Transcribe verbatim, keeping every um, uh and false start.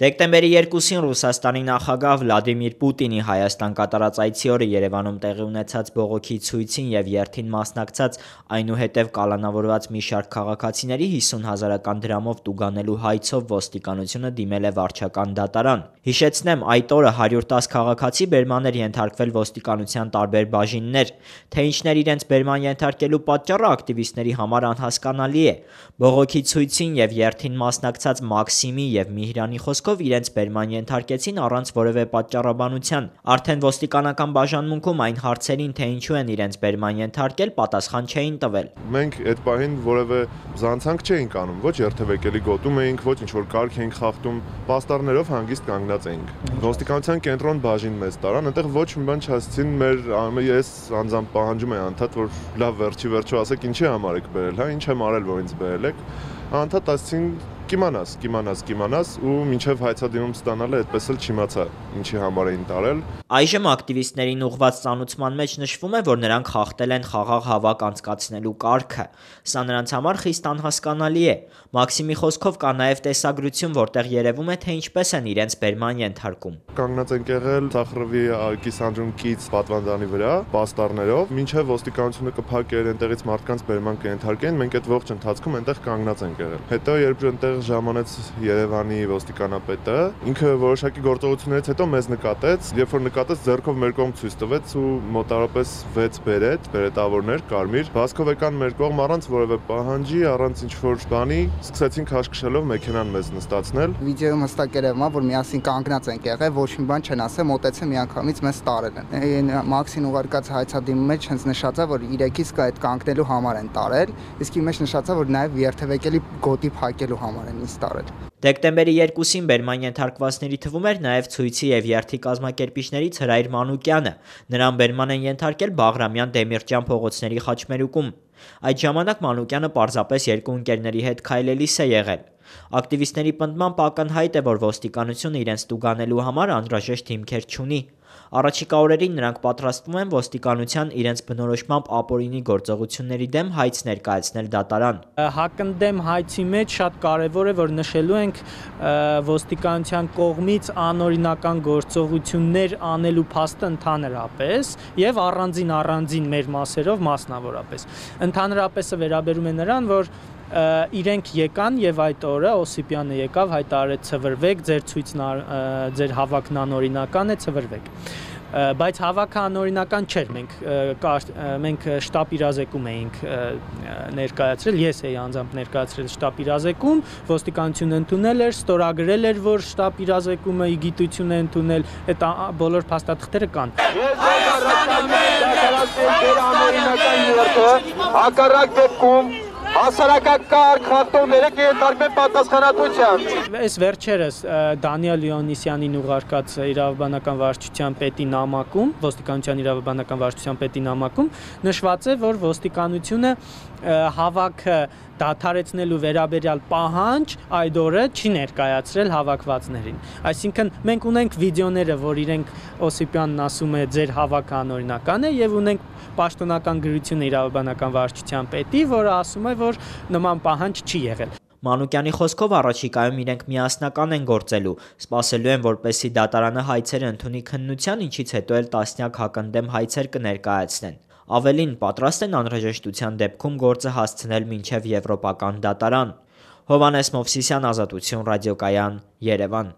Դեկտեմբերի երկուսին Ռուսաստանի նախագահ Վլադիմիր Պուտինի Հայաստան կատարած այցի օրը Երևանում տեղի ունեցած բողոքի ցույցին և երթին մասնակցած, այնուհետև կալանավորված մի շարք քաղաքացիների հիսուն հազարական դրամով տուգանելու հայցով ոստիկանությունը դիմել է վարչական դատարան։ Հիշեցնեմ, այդ օրը հարյուր տասը քաղաքացի բերման էր ենթարկվել ոստիկանության տարբեր բաժիններ, թե ինչն էր իրենց բերման ենթարկելու պատճառը ակտիվիստների համար անհասկանալի է։ Բողոքի ցույցին և երթին մասնակցած Մաքսիմի և Միհրանի խոսքով իրենց բերման ենթարկեցին առանց որևէ պատճառաբանության։ Արդեն ոստիկանական բաժանմունքում այն հարցերին, թե ինչու են իրենց բերման ենթարկել, պատասխան չէին տվել։ Մենք այդ պահին որևէ զանցանք չէինք անում, ոչ երթևեկելի գոտում էինք, ոչ ինչ-որ կարգ էինք խախտում, պաստառներով հանգիստ կանգնած էինք։ Ոստիկանության կենտրոն բաժին մեզ տարան, այնտեղ ոչ մի բան չասեցին, մեր ես անձամբ պահանջում եմ անդադ, որ լավ վերջի վերջո ասեք ինչի համար եք բերել, հա, ինչ եմ արել, որ ինձ բերել եք։ Անդադ ասեցին կիմանաս, կիմանաս, կիմանաս ու մինչև հայցադիմում ստանալը այդպես էլ չիմացա ինչի համար էին տարել։ Այժմ ակտիվիստներին ուղղված ծանուցման մեջ նշվում է, որ նրանք խախտել են խաղաղ հավաք անցկացնելու կարգը։ Սա նրանց համար խիստ անհասկանալի է։ Մաքսիմի խոսքով կա նաև տեսագրություն, որտեղ երևում է, թե ինչպես են իրենց բերման ենթարկում։ Կանգնած ենք եղել Թախրովի կիսանդրունքից պատվանդանի վրա, պաստառներով, մինչև ոստիկանությունը կփակեր այնտեղից մարդկանց բերման կենթարկեն, մենք այդ ողջ ընթացքում այնտեղ կանգնած ենք եղել։ Հետո երբ այնտեղ ժամանեց Երևանի ոստիկանապետը, ինքը որոշակի գործողություններից հետո մեզ նկատեց, երբ որ նկատեց ձեռքով մեր կողմ ցույց տվեց ու մոտավորապես վեց բերետ, բերետավորներ, կարմիր, վազքով եկան մեր կողմ առանց որևէ պահանջի, առանց ինչ-որ բանի, սկսեցին քաշքշելով մեքենան մեզ նստացնել։ Վիդեոյում հստակ երևում է, որ միասին կանգնած ենք եղել, ոչ մի բան չեն ասել, մոտեցել միանգամից մեզ տարել են։ Մաքսին ուղարկած հայցադիմի մեջ հենց նշած է, որ իրեքից կա այդ կանգնելու համար են տարել, իսկ ի մեջ նշած է, որ նաև երթևեկելի գոտի փակելու համար են ինձ տարել։ Դեկտեմբերի երկուսին բերման ենթարկվածների թվում էր նաև ցույցի և երթի կազմակերպիչներից Հրայր Մանուկյանը։ Նրան բերման են ենթարկել Բաղրամյան Դեմիրճյան փողոցների խաչմերուկում։ Այդ ժամանակ Մանուկյանը պարզապես երկու ընկերների հետ քայլելիս է եղել։ Ակտիվիստների պնդմամբ ակնհայտ է, որ ոստիկանությունը իրենց տուգանելու համար անհրաժեշտ հիմքեր չունի։ Առաջիկա օրերին նրանք պատրաստվում են ոստիկանության իրենց բնորոշմամբ ապօրինի գործողությունների դեմ հայց ներկայացնել դատարան։ Հակընդդեմ հայցի մեջ շատ կարևոր է, որ նշելու ենք ոստիկանության կողմից անօրինական գործողություններ անելու փաստը ընդհանրապես եւ առանձին առանձին մեր մասերով մասնավորապես։ Ընդհանրապես վերաբերում է նրան, որ իրենք եկան եւ այդ օրը Օսիպյանը եկավ, հայտարարեց ցվրվեք, ձեր ցույցն ձեր հավաքն անօրինական է, ցվրվեք։ Բայց հավաքը անօրինական չէր, մենք մենք շտապ իրազեկում էինք ներկայացրել, ես էի անձամբ ներկայացրել շտապ իրազեկում, ոստիկանությունը ընդունել էր, ստորագրել էր, որ շտապ իրազեկումը ի գիտություն է ընդունել, այդ բոլոր փաստաթղթերը կան։ Հակառակ դեպքում հասարակական կարգ խախտումները կենթարկվեն պատասխանատվության։ Այս վերջերս Դանիել Լեոնիսյանին ուղարկած իրավաբանական վարչության պետի նամակում, ոստիկանության իրավաբանական վարչության պետի նամակում նշված է, որ ոստիկանությունը հավաքը դադարեցնելու վերաբերյալ պահանջ այդ օրը չի ներկայացրել հավաքվածներին։ Այսինքն մենք ունենք վիդեոները, որ իրենք Օսիպյանն ասում է ձեր հավաքը անօրինական է եւ ունենք պաշտոնական գրությունը իրավաբանական վարչության պետի, որը ասում է, որ նման պահանջ չի եղել։ Մանուկյանի խոսքով առաջիկայում իրենք միասնական են գործելու, սպասելու են, որպեսզի դատարանը հայցերը ընդունի քննության, ինչից հետո էլ տասնյակ հակընդդեմ հայցեր կներկայացնեն։ Ավելին, պատրաստ են անհրաժեշտության դեպքում գործը հասցնել մինչև եվրոպական դատարան։ Հովհաննես Մովսիսյան, Ազատություն ռադիոկայան, Երևան։